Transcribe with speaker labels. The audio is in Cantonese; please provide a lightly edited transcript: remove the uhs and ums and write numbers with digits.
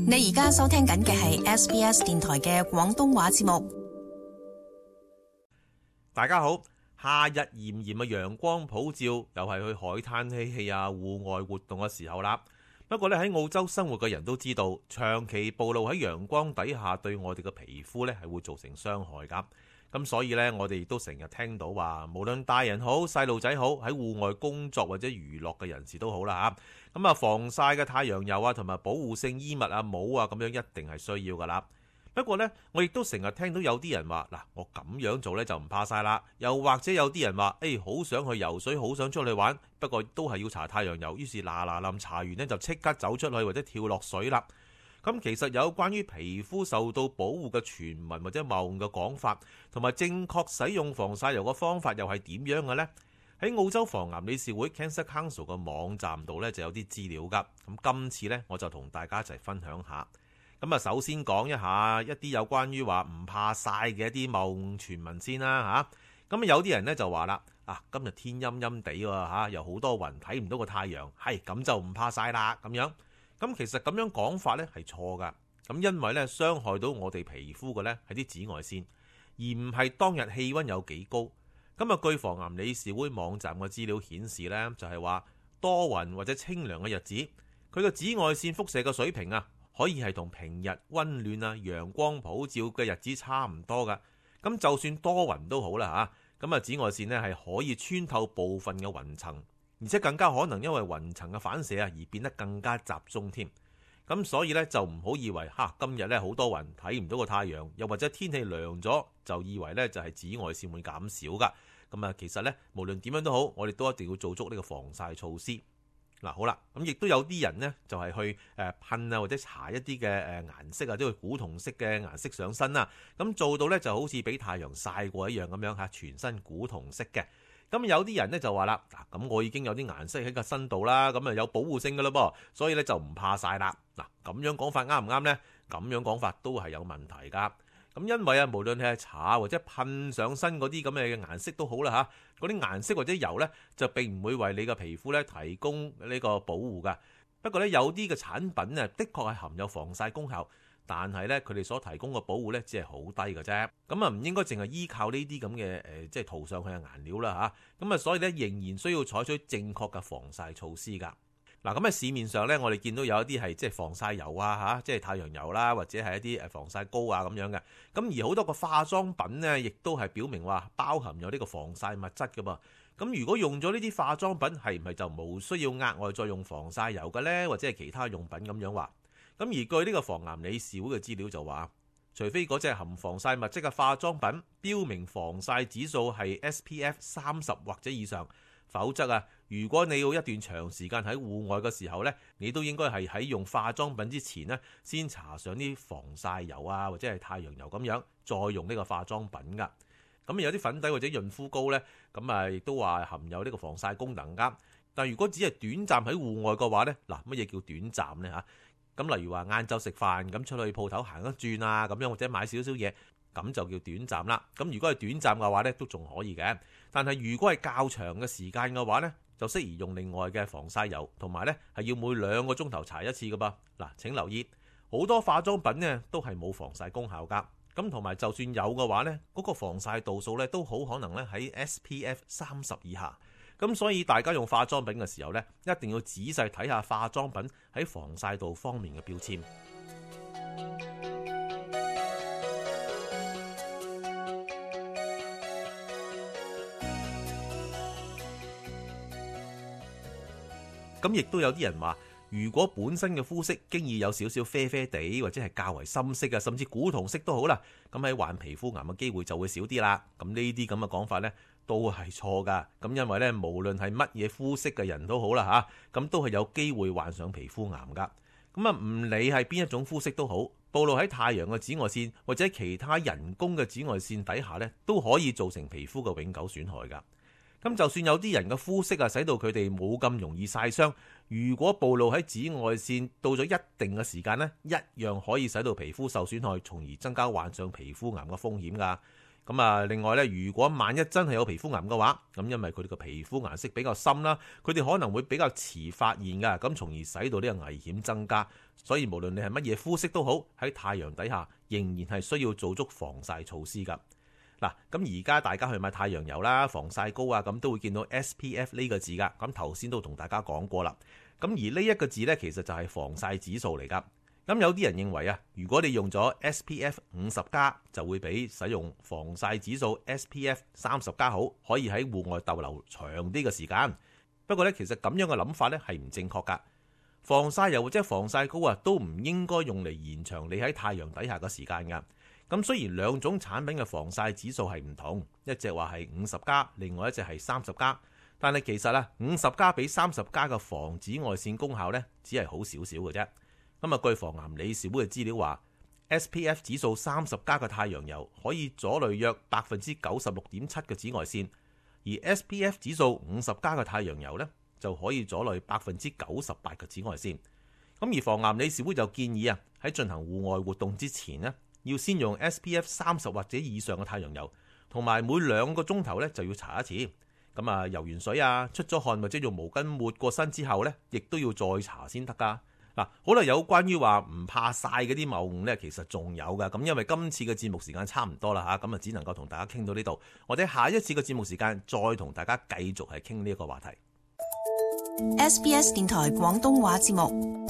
Speaker 1: 你而家收聽緊嘅係 SBS 電台嘅廣東話節目。
Speaker 2: 大家好，夏日炎炎嘅陽光普照，又係去海灘嬉戲啊、戶外活動嘅時候啦。不過咧，喺澳洲生活嘅人都知道，長期暴露喺陽光底下，對我哋嘅皮膚咧係會造成傷害噶。咁所以咧，我哋亦都成日聽到話，無論大人好、細路仔好，喺戶外工作或者娛樂嘅人士都好啦吓。咁啊，防曬嘅太陽油啊，同埋保護性衣物啊、帽啊，咁樣一定係需要噶啦。不過呢，我亦都成日聽到有啲人話，嗱，我咁樣做呢就唔怕曬啦。又或者有啲人話，好想去游水，好想出去玩，不過都係要搽太陽油，於是嗱臨搽完呢就即刻走出去或者跳落水啦。咁其實有關於皮膚受到保護嘅傳聞或者謬誤嘅講法，同埋正確使用防曬油嘅方法又係點樣嘅呢？喺澳洲防癌理事會 Cancer Council 嘅網站度呢就有啲資料噶。咁今次呢，我就同大家一齊分享下。咁啊，首先講一下一啲有關於話唔怕曬嘅一啲謬誤傳聞先啦嚇。咁有啲人呢就話啦，今日天陰陰地喎，又好多雲，睇唔到個太陽，係咁就唔怕曬啦咁樣。咁其實咁樣講法呢係錯噶。咁因為呢，傷害到我哋皮膚嘅呢係啲紫外線，而唔係當日氣温有幾高。咁啊，據防癌理事會網站嘅資料顯示呢，就係話多雲或者清涼嘅日子，佢個紫外線輻射嘅水平可以係同平日温暖陽光普照嘅日子差唔多噶。咁就算多雲都好啦嚇，咁啊紫外線呢係可以穿透部分嘅雲層，而且更加可能因為雲層嘅反射而變得更加集中添。咁所以呢，就唔好以為今日呢好多雲睇唔到個太陽，又或者天氣涼咗就以為呢就係紫外線會減少噶。咁其實呢，無論點樣都好，我哋都一定要做足呢個防曬措施。好啦，咁亦都有啲人呢，就係去噴或者搽一啲嘅顏色即係古銅色嘅顏色上身啦。咁做到呢就好似俾太陽曬過一樣咁樣全身古銅色嘅。咁有啲人呢就話啦，咁我已經有啲顏色喺個身度啦，咁有保護性噶啦噃，所以呢就唔怕曬啦。咁樣講法啱唔啱呢？咁樣講法都係有問題噶。咁因為無論係搽或者噴上身嗰啲咁嘅顏色都好啦嗰啲顏色或者油呢，就並唔會為你嘅皮膚呢提供呢個保護噶。不過呢，有啲嘅產品呢，的確係含有防曬功效，但係呢，佢哋所提供嘅保護呢，只係好低嘅啫。咁唔應該淨係依靠呢啲咁嘅即係塗上去嘅顏料啦咁所以呢，仍然需要採取正確嘅防曬措施噶。咁喺市面上呢，我哋見到有一啲係即係防曬油即係太陽油啦，或者係一啲防曬膏咁樣嘅。咁而好多個化妝品呢，亦都係表明話包含有呢個防曬物質噶噃。咁如果用咗呢啲化妝品，係唔係就冇需要額外再用防曬油嘅呢？或者係其他用品咁樣話？咁而據呢個防癌理事會嘅資料就話，除非嗰隻含防曬物質嘅化妝品標明防曬指數係 SPF 30或者以上，否則如果你要一段長時間喺戶外嘅時候呢，你都應該係喺用化妝品之前呢，先搽上啲防曬油或者係太陽油咁樣，再用呢個化妝品噶。咁有啲粉底或者潤膚膏呢，咁亦都話含有呢個防曬功能噶。但如果只係短暫喺戶外嘅話呢，乜嘢叫短暫呢？咁例如話晏晝食飯咁出去鋪頭行一轉咁樣，或者買少少嘢，咁就叫短暫啦。咁如果係短暫嘅話呢，都仲可以嘅。但係如果係較長嘅時間嘅話呢，就適宜用另外嘅防曬油，同埋呢係要每2個鐘頭搽一次㗎噃。請留意，好多化妝品呢都係冇防曬功效㗎。咁同埋就算有嘅話呢，嗰個防曬度數呢都好可能呢喺 SPF 30以下。咁所以大家用化妝品嘅時候呢，一定要仔細睇下化妝品喺防曬度方面嘅標籤。咁亦都有啲人話，如果本身嘅膚色經已有少少啡啡地，或者係較為深色甚至古銅色都好啦，咁喺患皮膚癌嘅機會就會少啲啦。咁呢啲咁嘅講法呢，都係錯噶。咁因為呢，無論係乜嘢膚色嘅人都好啦咁都係有機會患上皮膚癌噶。咁唔理係邊一種膚色都好，暴露喺太陽嘅紫外線或者其他人工嘅紫外線底下呢，都可以造成皮膚嘅永久損害噶。咁就算有啲人嘅膚色使到佢哋冇咁容易曬傷，如果暴露喺紫外線到咗一定嘅時間呢，一樣可以使到皮膚受損害，從而增加患上皮膚癌嘅風險噶。咁啊，另外咧，如果萬一真係有皮膚癌嘅話，咁因為佢哋個皮膚顏色比較深啦，佢哋可能會比較遲發現噶，咁從而使到呢個危險增加。所以無論你係乜嘢膚色都好，喺太陽底下仍然係需要做足防曬措施噶。嗱，咁而家大家去買太陽油啦、防曬膏啊，咁都會見到 SPF 呢個字噶。咁頭先都同大家講過啦。咁而呢一個字呢，其實就係防曬指數嚟噶。咁有啲人認為啊，如果你用咗 SPF 50+，就會比使用防曬指數 SPF 30+好，可以喺戶外逗留長啲嘅時間。不過呢，其實咁樣嘅諗法呢係唔正確噶。防曬油或者防曬膏啊，都唔應該用嚟延長你喺太陽底下嘅時間噶。咁雖然兩種產品嘅防曬指數係唔同，一隻話係50+，另外一隻係30+，但係其實啊，50+比30+嘅防紫外線功效呢，只係好少少嘅啫。咁啊，據防癌理事會嘅資料話 ，SPF 指數30+嘅太陽油可以阻濾約96.7%嘅紫外線，而 SPF 指數50+嘅太陽油呢，就可以阻濾98%嘅紫外線。咁而防癌理事會就建議啊，喺進行戶外活動之前呢，要先用 SPF 30或者以上嘅太陽油，同埋每2個鐘頭呢就要搽一次。咁啊，游完水啊，出咗汗或者用毛巾抹過身之後呢，亦都要再搽先得噶。嗱，好啦，有關於話唔怕曬嗰啲謬誤呢，其實仲有噶。咁因為今次嘅節目時間差唔多啦嚇，咁啊只能夠同大家傾到呢度。我哋下一次嘅節目時間再同大家繼續係傾呢一個話題。
Speaker 1: SBS 電台廣東話節目。